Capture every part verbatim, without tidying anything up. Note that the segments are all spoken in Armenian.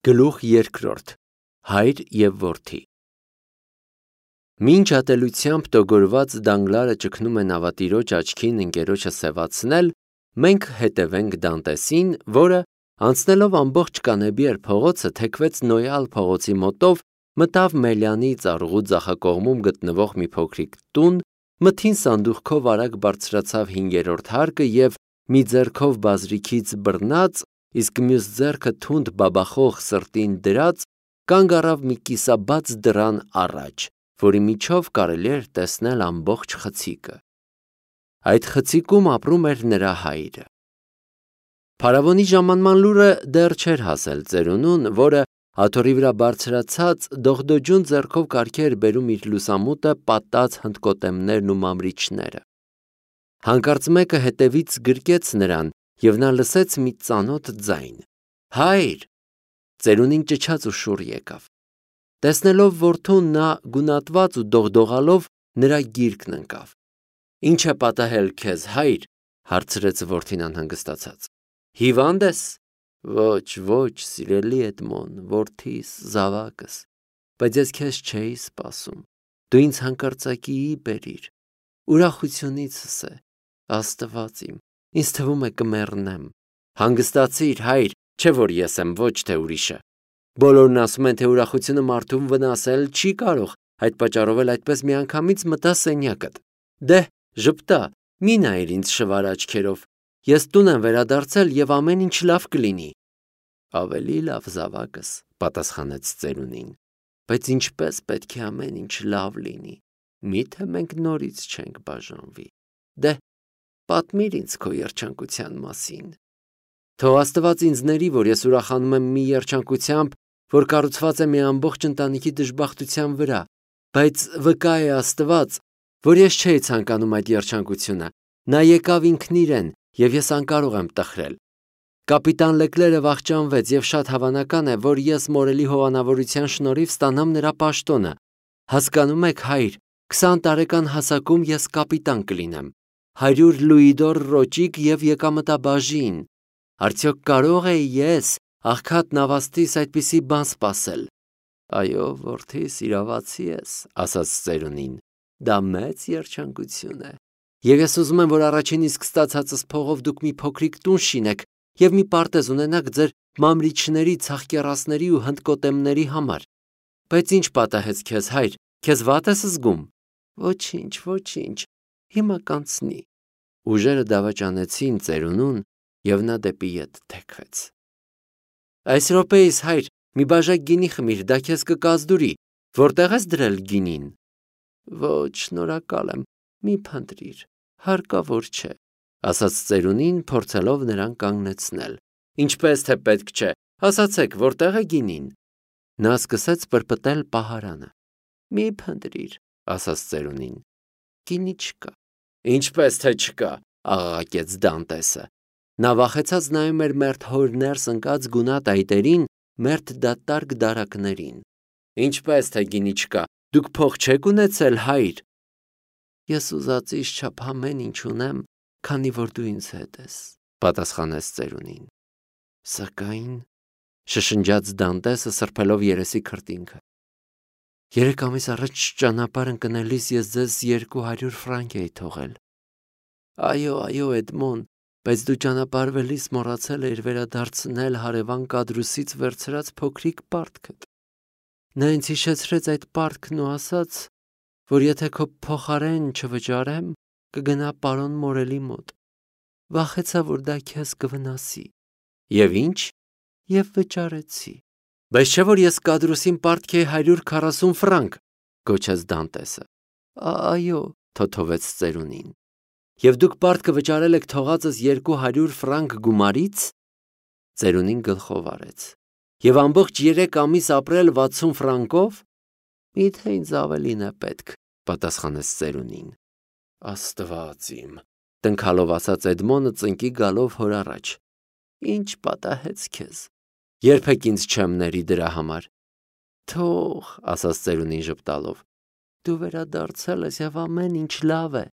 Գլուխ երկրորդ. Հայր և որդի։ Մինչ ատելությամբ տոգորված Դանգլարը ճգնում է նավատիրոջ աչքին ընկերոջը սևացնել, մենք հետևենք Դանտեսին, որը, անցնելով ամբողջ Կանեբիեր փողոցը, թեքվեց Նոյալ փողոցի մոտով, մտավ Մելյանի ծառուղու ձախակողմում գտնվող մի փոքրիկ տուն, մթին սանդուղքով արագ բարձրացավ հինգերորդ հարկը և մի ձեռքով բազրիքից բռնած, իսկ մյուս ձեռքը թունդ բաբախող սրտին դրած, կանգ առավ մի կիսաբաց դռան առաջ, որի միջով կարելի էր տեսնել ամբողջ խցիկը։ Այդ խցիկում ապրում էր նրա հայրը։ Փարավոնի ժամանման լուրը դեռ չէր հասել ծերունուն, որը աթոռի վրա բարձրացած դողդոջուն ձեռքով կարգի էր բերում իր լուսամուտը պատած հնդկոտեմներն ու մամրիչները։ Հանկարծ մեկը հետևից գրկեց նրան, և նա լսեց մի ծանոթ ձայն. «Հայր»։ Ծերունին ճչաց ու շուռ եկավ։ Տեսնելով որդուն, նա գունատված ու դողդողալով նրա գիրկն ընկավ։ «Ինչ է պատահել քեզ, հայր», հարցրեց որդին անհանգստացած։ «Հիվա՞նդ ես»։ «Ոչ, ոչ, սիրելի Էդմոն, որդիս, զավակս, բայց ես քեզ չէի սպասում, դու ինձ հանկարծակիի բերիր, ուրախությունիցս է, Աստված իմ, ինձ թվում է կմեռնեմ»։ «Հանգստացիր, հայր, չէ որ ես եմ, ոչ թե ուրիշը։ Բոլորն ասում են, թե ուրախությունը մարդուն վնասել չի կարող, այդ պատճառով էլ այդպես միանգամից մտա սենյակդ։ Դե՛հ, ժպտա, մի նայիր ինձ շվար աչքերով, ես տուն եմ վերադարձել և ամեն ինչ լավ կլինի»։ «Ավելի լավ, զավակս», պատասխանեց ծերունին, «բայց ինչպես պետք է ամեն ինչ լավ լինի, միթե մենք նորից չենք բաժանվի։ Դե՛հ, պատմիր ինձ քո երջանկության մասին»։ «Թող Աստված ինձ ների, որ ես ուրախանում եմ մի երջանկությամբ, որ կառուցված է մի ամբողջ ընտանիքի դժբախտության վրա, բայց վկա է Աստված, որ ես չէի ցանկանում այդ երջանկությունը, նա եկավ ինքն իրեն, և ես անկարող եմ տխրել։ Կապիտան Լեկլերը վախճանվեց, և շատ հավանական է, որ ես մորելի հովանավորության շնորհիվ ստանամ նրա պաշտոնը։ Հասկանում եք, հայր, քսան տարեկան հասակում ես կապիտան կլինեմ, հարյուր լուիդոր ռոճիկ և եկամտաբաժին։ Արդյոք կարո՞ղ էի ես, աղքատ նավաստիս, այդպիսի բան սպասել»։ «Այո, որդիս, իրավացի ես», ասաց ծերունին, «դա մեծ երջանկություն է, և ես ուզում եմ, որ առաջին իսկ ստացածս փողով դուք մի փոքրիկ տուն շինեք և մի պարտեզ ունենաք ձեր մամրիչների, ցախկեռասների ու հնդկոտեմների համար։ Բայց ի՞նչ պատահեց քեզ, հայր, քեզ վատ ես զգում»։ «Ոչինչ, ոչինչ, հիմա կանցնի»։ Ուժերը դավաճանեցին ծերունուն, և նա դեպի ետ թեքվեց։ «Այս րոպեիս, հայր, մի բաժակ գինի խմիր, դա քեզ կկազդուրի, որտե՞ղ ես դրել գինին»։ «Ոչ, շնորհակալ եմ, մի փնտրիր, հարկավոր չէ», ասաց ծերունին, փորձելով նրան կանգնեցնել։ «Ինչպես թե պետք չէ, ասացեք, որտե՞ղ է գինին»։ Նա սկսեց պրպտել պահարանը։ «Մի փնտրիր», ասաց ծերունին, «գինի չկա»։ «Ինչպես թե չկա», աղաղակեց Դանտեսը։ Նա վախեցած նայում էր մերթ հոր ներս ընկած գունատ այտերին, մերթ դատարկ դարակներին։ «Ինչպես թե գինի չկա, դուք փող չեք ունեցել, հայր»։ «Ես ուզածիս չափ ամեն ինչ ունեմ, քանի որ դու ինձ հետ ես», պատասխանեց ծերունին։ «Սակայն», շշնջաց Դանտեսը, սրբելով երեսի քրտինքը, «երեք ամիս առաջ ճանապարհ ընկնելիս ես ձեզ երկու հարյուր ֆրանկ էի թողել»։ «Այո, այո, Էդմոն, բայց դու ճանապարհվելիս մոռացել էիր վերադարձնել հարևան Կադրուսից վերցրած փոքրիկ պարտքդ։ Նա ինձ հիշեցրեց այդ պարտքն ու ասաց, որ եթե քո փոխարեն չվճարեմ, կգնա պարոն Մորելի մոտ։ Վախեցա, որ դա քեզ կվնասի։ Եվ ի՞նչ։ Եվ վճարեցի։ Բայց չէ՞ որ ես Կադրուսին պարտքի էի հարյուր քառասուն ֆրանկ, գոչեց Դանտեսը։ Այո, թոթովեց ծերունին։ Եվ դուք պարտքը վճարել եք թողածս երկու հարյուր ֆրանկ գումարի՞ց։ Ծերունին գլխով արեց։ Եվ ամբողջ երեք ամիս ապրել վաթսուն ֆրանկով։ Միթե ինձ ավելին է պետք, պատասխանեց ծերունին։ Աստված իմ, տնքալով ասաց Էդմոնը ծնկի գալով հոր առաջ։ Ինչ պատահեց քեզ։ Երբեք ինձ չեմ ների դրա համար։ Թող, ասաց ծերունին ժպտալով, դու վերադարձել ես և ամեն ինչ լավ է։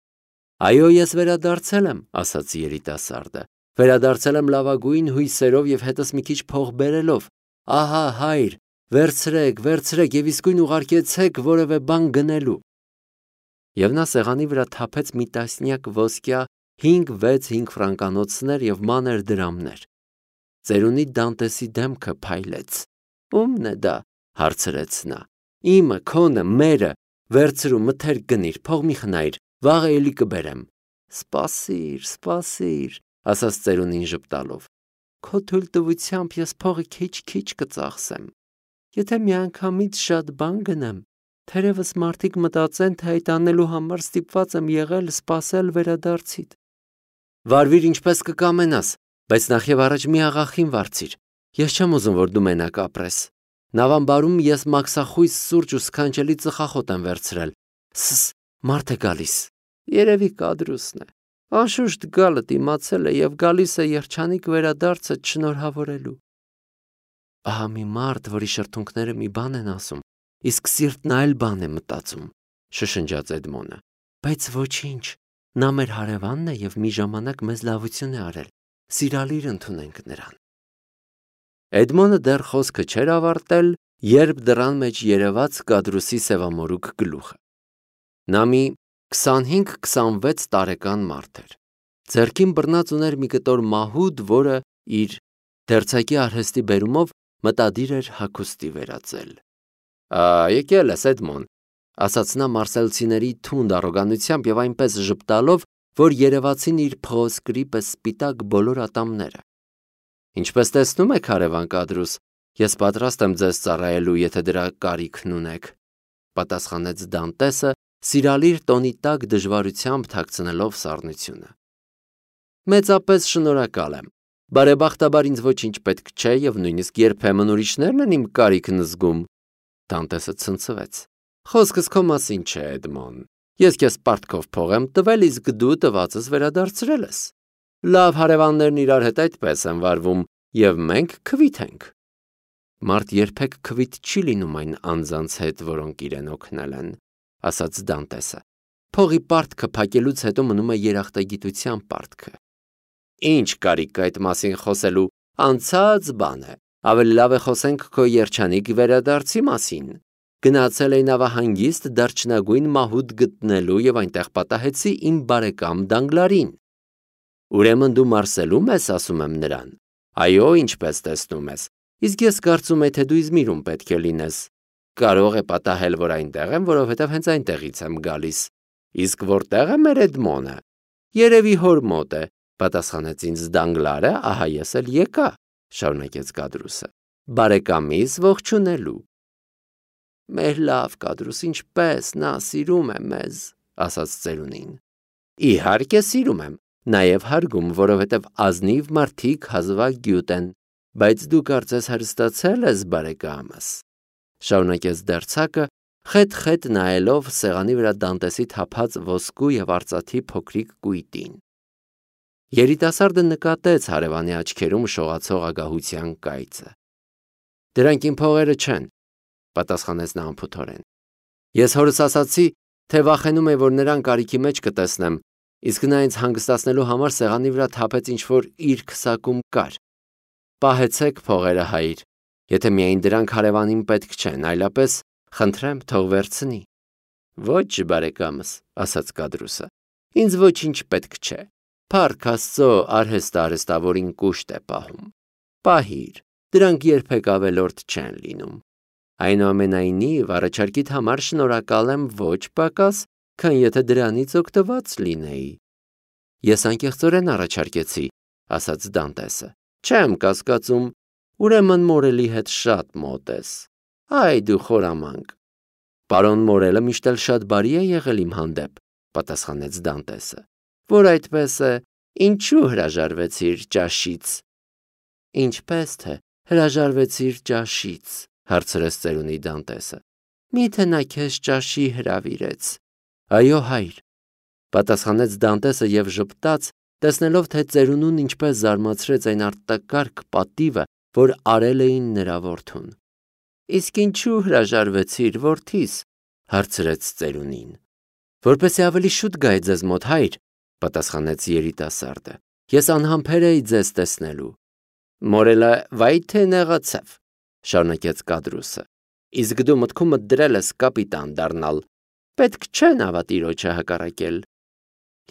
Այո, ես վերադարձել եմ, ասաց երիտասարդը։ Վերադարձել եմ լավագույն հույսերով և հետս մի քիչ փող բերելով։ Ահա հայր, վերցրեք, վերցրեք եւ իսկույն ուղարկեցեք որևէ բան գնելու։ Եվ նա սեղանի վրա թափեց մի տասնյակ ոսկյա հինգ-վեց հինգ ֆրանկանոցներ եւ մանր դրամներ։ Ծերունի Դանտեսի դեմքը փայլեց։ Ո՞ւմն է դա, հարցրեց նա։ Իմը, քոնը, մերը, վերցրու, մթերք գնիր, փող մի խնայիր, վաղ էլի կբերեմ։ Սպասիր, սպասիր, ասաց ծերունին ժպտալով։ Քո թույլտվությամբ ես փողը քիչ-քիչ կծախսեմ։ Եթե միանգամից շատ բան գնեմ, թերևս մարդիկ մտածեն, թե այդ անելու համար ստիպված եմ եղել սպասել վերադարձիդ։ Վարվիր ինչպես կկամենաս, բայց նախ եւ առաջ մի աղախին վարձիր։ Ես չեմ ուզում, որ դու մենակ ապրես։ Նավամբարում ես մաքսախույս սուրճ ու սքանչելի ծխախոտ եմ վերցրել։ Սս, մարդ է գալիս։ Երևի կադրուսն է։ Անշուշտ գալդ իմացել է եւ գալիս է երջանիկ վերադարձը շնորհավորելու։ Ահա մի մարդ, որի շրթունքները մի բան են ասում, իսկ սիրտն այլ բան է մտածում, շշնջաց Էդմոնը։ Բայց ոչինչ, նա մեր հարևանն է եւ մի ժամանակ մեզ լավություն է արել։ Սիրալիր ընդունենք նրան։ Էդմոնը դեռ խոսքը չէր ավարտել, երբ դռան մեջ երևաց կադրուսի սևամորուք գլուխը։ Նա մի քսանհինգ քսանվեց տարեկան մարդ էր։ Ձեռքին բռնած ուներ մի կտոր մահուդ, որը իր դերձակի արհեստի բերումով մտադիր էր հագուստի վերածել։ Ա, եկել ես, Էդմոն, ասաց նա մարսելցիների թունդ առոգանությամբ եւ այնպես ժպտալով, որ երևացին իր փղոսկրի պես սպիտակ բոլոր ատամները։ Ինչպես տեսնում եք, հարևան կադրուս, ես պատրաստ եմ ձեզ ծառայելու, եթե դրա կարիքն ունեք, պատասխանեց Դանտեսը, սիրալիր տոնի տակ դժվարությամբ թաքցնելով սառնությունը։ Մեծապես շնորհակալ եմ։ Բարեբախտաբար ինձ ոչինչ պետք չէ եւ նույնիսկ երբեմն ուրիշներն են իմ կարիքն զգում։ Դանտեսը ցնցվեց։ Խոսքս քո մասին չէ, Էդմոն։ Ես քեզ պարտքով փող եմ տվել, իսկ դու տվածս վերադարձրել ես։ Լավ հարևաններն իրար հետ այդպես են վարվում, եւ մենք քվիթ ենք։ Մարդ երբեք քվիթ չի լինում այն անձանց հետ, որոնք իրեն օգնել են, ասաց Դանտեսը։ Փողի պարտքը փակելուց հետո մնում է երախտագիտության պարտքը։ Ինչ կարիք այդ մասին խոսելու, անցած բան է։ Ավելի լավ է խոսենք քո երջանիկ վերադարձի մասին։ Գնացել էի նավահանգիստ դարչնագույն մահուդ գտնելու եւ այնտեղ պատահեցի իմ բարեկամ Դանգլարին։ Ուրեմն դու Մարսելում ես, ասում եմ նրան։ Այո, ինչպես տեսնում ես։ Իսկ ես կարծում եմ, թե դու Իզմիրում պետք է լինես։ Կարող է պատահել, որ այնտեղ եմ, որովհետև հենց այնտեղից եմ գալիս։ Իսկ որտեղ է մեր Էդմոնը։ Երևի հոր մոտ է, պատասխանեց ինձ Դանգլարը, ահա ես էլ եկա, շարունակեց կադրուսը։ Բարեկամիս ողջունելու։ Մեր լավ կադրուս, ինչպես նա սիրում է մեզ, ասաց ծերունին։ Իհարկե սիրում եմ, նաև հարգում, որովհետև ազնիվ մարդիկ հազվագյուտ են, բայց դու կարծես հրստացել ես, բարեկամս, շարունակեց դերձակը, խետ-խետ նայելով սեղանի վրա Դանտեսի թափած ոսկու եւ արծաթի փոքրիկ կույտին։ Երիտասարդը նկատեց հարևանի աչքերում շողացող ագահության կայծը։ Դրանք իմ փողերը չեն, պատասխանեց նա անփութորեն։ Ես հորս ասացի, թե վախենում եմ, որ նրան կարիքի մեջ կտեսնեմ, իսկ նա ինձ հանգստացնելու համար սեղանի վրա թափեց ինչ-որ իր քսակում կար։ Պահեցեք փողերը, հայր, եթե միայն դրանք հարևանին պետք չեն, այլապես խնդրեմ թող վերցնի։ Ոչ, բարեկամս, ասաց կադրուսը, ինձ ոչինչ պետք չէ։ Փառք Աստծո, արհեստը արհեստավորին կուշտ է պահում։ Պահիր, դրանք երբեք ավելորդ չեն լինում։ Այնուամենայնիվ, առաջարկիդ համար շնորհակալ եմ ոչ պակաս, քան եթե դրանից օգտված լինեի։ Ես անկեղծորեն առաջարկեցի, ասաց Դանտեսը։ Չեմ կասկածում, ուրեմն Մորելի հետ շատ մոտ ես։ Այ դու խորամանկ։ Պարոն Մորելը միշտ էլ շատ բարի է եղել իմ հանդեպ, պատասխանեց Դանտեսը։ Որ այդպես է, ինչու հրաժարվեցիր ճաշից։ Ինչպես թե հրաժարվեցիր ճաշից, հարցրեց ծերունի Դանտեսը։ Միթե նա քեզ ճաշի հրավիրեց։ Այո, հայր, պատասխանեց Դանտեսը եւ ժպտաց, տեսնելով, թե ծերունուն ինչպես զարմացրեց այն արտակարգ պատիվը, որ արել էին նրա որդուն։ Իսկ ինչու հրաժարվեցիր, որդիս, հարցրեց ծերունին։ Որպեսզի ավելի շուտ գայ ձեզ մոտ, հայր, պատասխանեց երիտասարդը։ Ես անհամբեր էի ձեզ տեսնելու։ Մորելը վայ թե նեղացավ։ շարունակեց Կադրուսը։ Իսկ դու մտքումդ դրել ես կապիտան դառնալ։ Պետք չէ նավատիրոջը հակառակել։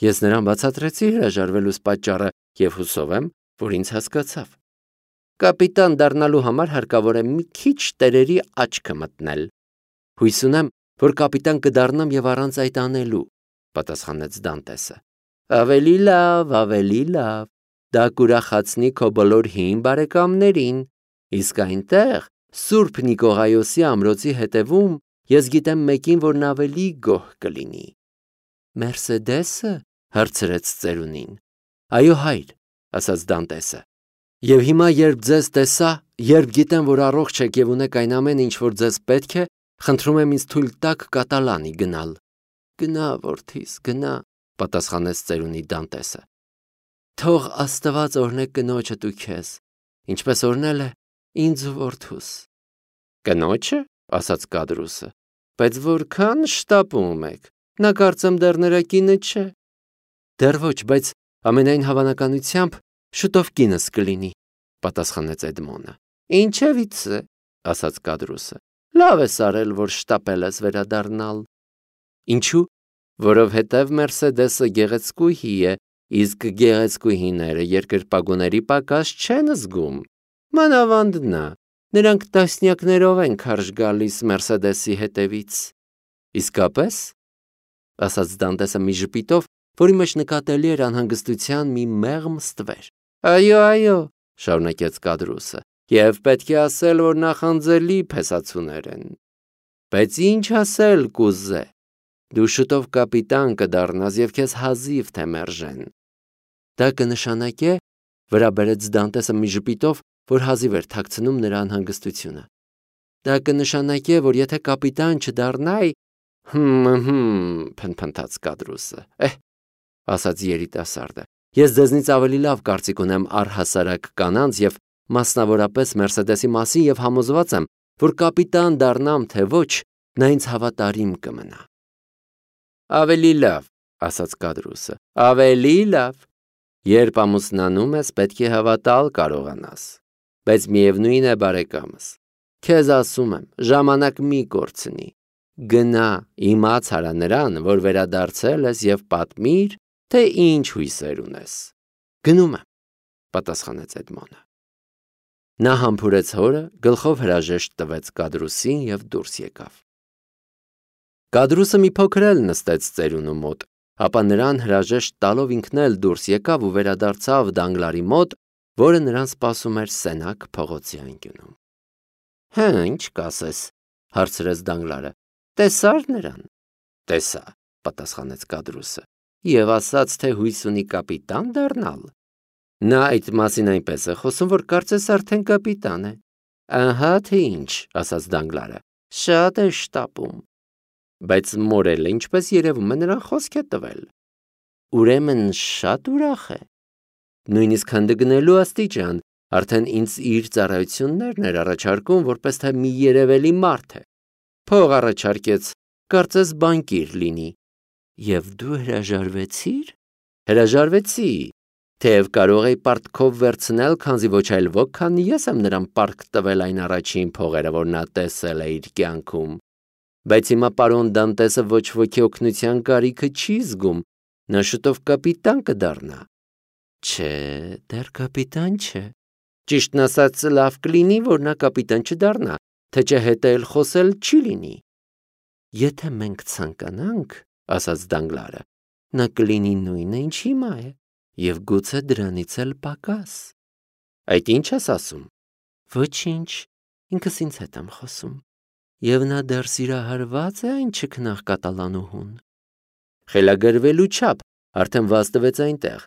Ես նրան բացատրեցի հրաժարվելուս պատճառը եւ հուսով եմ, որ ինձ հասկացավ։ Կապիտան դառնալու համար հարկավոր է մի քիչ տերերի աչքը մտնել։ Հույս ունեմ, որ կապիտան կդառնամ եւ առանց այդ անելու, պատասխանեց Դանտեսը։ Ավելի լավ, ավելի լավ։ Դա կուրախացնի քո բոլոր հին բարեկամներին, իսկ այնտեղ Սուրբ Նիկողայոսի ամրոցի հետևում ես գիտեմ մեկին, որն ավելի գոհ կլինի։ Մերսեդեսը, հարցրեց ծերունին։ Այո, հայր, ասաց Դանտեսը։ Եվ հիմա, երբ ձեզ տեսա, երբ գիտեմ, որ առողջ եք եւ ունեք այն ամենը, ինչ որ ձեզ պետք է, խնդրում եմ ինձ թույլ տաք կատալանի գնալ։ Գնա, որդիս, գնա, պատասխանեց ծերունի Դանտեսը։ Թող Աստված օրհնե կնոջդ ու քեզ, ինչպես օրհնել է ինձ ու որդուս։ Կնոջը, ասաց Կադրուսը, բայց որքան շտապում եք, նա կարծեմ դեռ նրա կինը չէ։ Դեռ ոչ, բայց ամենայն հավանականությամբ շուտով կինս կլինի, պատասխանեց Էդմոնը։ Ինչևից է, ասաց Կադրուսը։ Լավ ես արել, որ շտապել ես վերադառնալ։ Ինչու՞, որովհետև Մերսեդեսը գեղեցկուհի է, իսկ գեղեցկուհիները երկրպագուների պակաս չեն զգում։ Մանավանդ նա, նրանք տասնյակներով են քարշ գալիս Մերսեդեսի հետևից։ Իսկապես, ասաց Դանտեսը մի ժպիտով, որի մեջ նկատելի էր անհանգստության մի մեղմ ստվեր։ Այո, այո, շարունակեց Կադրուսը, եւ պետք է ասել, որ նախանձելի փեսացուներ են։ Բայց ինչ ասել կուզե։ Դու շուտով կապիտան կդառնաս եւ քեզ հազիվ թե մերժեն։ Դա կնշանակե, վրա բերեց Դանտեսը մի ժպիտով, որ հազիվ էր թաքցնում նրա անհանգստությունը։ Դա կնշանակե, որ եթե կապիտան չդառնայի, հմ, հմ, փնփնթաց Կադրուսը։ Էհ, ասաց երիտասարդը, ես ձեզնից ավելի լավ կարծիք ունեմ առհասարակ կանանց եւ մասնավորապես Մերսեդեսի մասին եւ համոզված եմ, որ կապիտան դառնամ թե ոչ, նա ինձ հավատարիմ կմնա։ Ավելի լավ, ասաց Կադրուսը, ավելի լավ։ Երբ ամուսնանում ես, պետք է հավատալ կարողանաս։ Բայց միևնույն է, բարեկամս, քեզ ասում եմ, ժամանակ մի կորցնի։ Գնա, իմաց արա նրան, որ վերադարձել ես եւ պատմիր, թե ինչ հույսեր ունես։ Գնում եմ, պատասխանեց Էդմոնը։ Նա համբուրեց հորը, գլխով հրաժեշտ տվեց Կադրուսին եւ դուրս եկավ։ Կադրուսը մի փոքր էլ նստեց ծերունու մոտ, ապա նրան հրաժեշտ տալով ինքն էլ դուրս եկավ ու վերադարձավ Դանգլարի մոտ, որը նրան սպասում էր Սենակ փողոցի անկյունում։ Հա, ինչ կասես, հարցրեց Դանգլարը։ Տեսա՞ր նրան։ Տեսա, պատասխանեց Կադրուսը։ Եվ ասաց, թե հույս ունի կապիտան դառնալ։ Նա այդ մասին այնպես է խոսում, որ կարծես արդեն կապիտան է։ Ահա թե ինչ, ասաց Դանգլարը։ Շատ է շտապում։ Բայց մորելը, ինչպես երևում է, նրան խոսք է տվել։ Ուրեմն շատ ուրախ է։ Նույնիսկ հանդգնելու աստիճան, արդեն ինձ իր ծառայություններն էր առաջարկում, որպես թե մի երևելի մարդ է։ Փող առաջարկեց, կարծես բանկիր լինի։ Եվ դու հրաժարվեցիր։ Հրաժարվեցի, թեև կարող էի պարտքով վերցնել, քանզի ոչ այլ ոք, քան ես եմ նրան պարտք տվել այն առաջին փողերը, որ նա տեսել է իր կյանքում։ Բայց հիմա պարոն Դանտեսը ոչ ոքի օգնության կարիքը չի զգում, նա շուտով կապիտան կդառնա։ Չէ, դեռ կապիտան չէ։ Ճիշտն ասած, լավ կլինի, որ նա կապիտան չդառնա, թե չէ հետը էլ խոսել չի լինի։ Եթե մենք ցանկանանք, ասաց Դանգլարը, նա կլինի նույնը, ինչ հիմա է, եւ գուցե դրանից էլ պակաս։ Այդ ինչ ես ասում։ Ոչինչ, ինքս ինձ հետ եմ խոսում։ Եվ նա դեռ սիրահարված է այն չքնաղ կատալանուհուն։ Խելագարվելու չափ արդեն վաստվեց այնտեղ,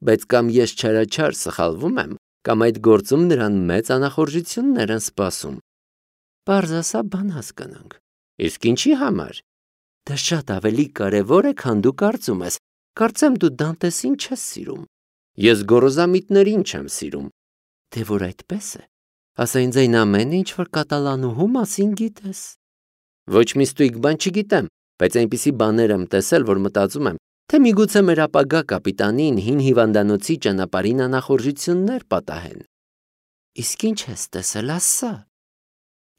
բայց կամ ես չարաչար սխալվում եմ, կամ այդ գործում նրան մեծ անախորժություններ են սպասում։ Պարզասա բան հասկանանք։ Իսկ ինչի համար։ Դա շատ ավելի կարևոր է, քան դու կարծում ես։ Կարծեմ դու Դանտեսին չես սիրում։ Ես գոռոզամիտներին չեմ սիրում։ Թե որ այդպես է, ասա ինձ այն ամենը, ինչ որ կատալանուհու մասին գիտես։ Ոչ մի ստույգ բան չգիտեմ, բայց այնպիսի բաներ եմ տեսել, որ մտածում եմ, թե միգուցե մեր ապագա կապիտանին հին հիվանդանոցի ճանապարհին անախորժություններ պատահեն։ Իսկ ինչ ես տեսել, ասա։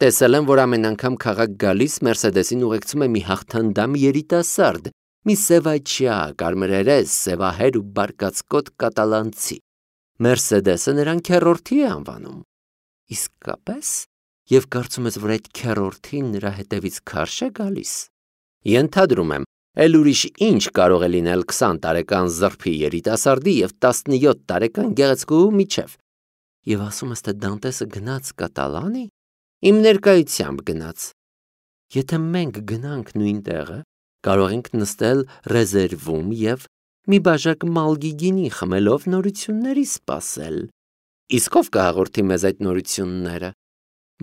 Տեսել եմ, որ ամեն անգամ քաղաք գալիս Մերսեդեսին ուղեկցում է մի հաղթանդամ երիտասարդ, մի սևաչյա, կարմրերես, սևահեր ու բարկացկոտ կատալանցի։ Մերսեդեսը նրան քեռորդի է անվանում։ Իսկապես, եւ կարծում ես, որ այդ քեռորդին նրա հետևից քարշ է գալիս։ Ենթադրում եմ, էլ ուրիշ ինչ կարող է լինել քսան տարեկան զրփի երիտասարդի եւ տասնյոթ տարեկան գեղեցկուհու միջև։ Եվ ասում ես, թե Դանտեսը գնաց Կատալանի։ Իմ ներկայությամբ գնաց։ Եթե մենք գնանք նույն տեղը, կարող ենք նստել ռեզերվում եւ մի բաժակ մալգի գինի խմելով նորությունների սպասել։ Իսկ ով կհաղորդի մեզ այդ նորությունները։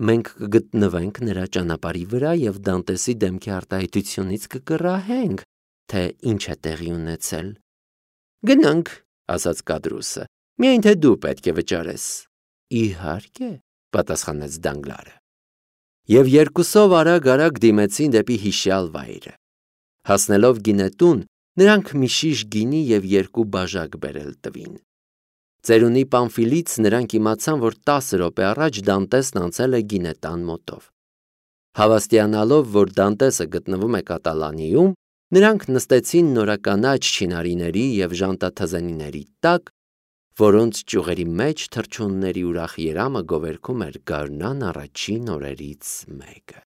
Մենք կգտնվենք նրա ճանապարհի վրա եւ Դանտեսի դեմքի արտահայտությունից կկռահենք, թե ինչ է տեղի ունեցել։ Գնանք, ասաց Կադրուսը, միայն թե դու պետք է վճարես։ Իհարկե, պատասխանեց Դանգլարը։ Եվ երկուսով արագ-արագ դիմեցին դեպի հիշյալ վայրը։ Հասնելով գինետուն, նրանք մի շիշ գինի եւ երկու բաժակ բերել տվին։ Ծերունի Պամֆիլից նրանք իմացան, որ տասը րոպե առաջ Դանտեսն անցել է գինետան մոտով։ Հավաստիանալով, որ Դանտեսը գտնվում է Կատալանիում, նրանք նստեցին նորականաչ չինարիների եւ ժանտաթզենիների տակ, որոնց ճյուղերի մեջ թռչունների ուրախ երամը գովերգում էր գարնան առաջին օրերից մեկը։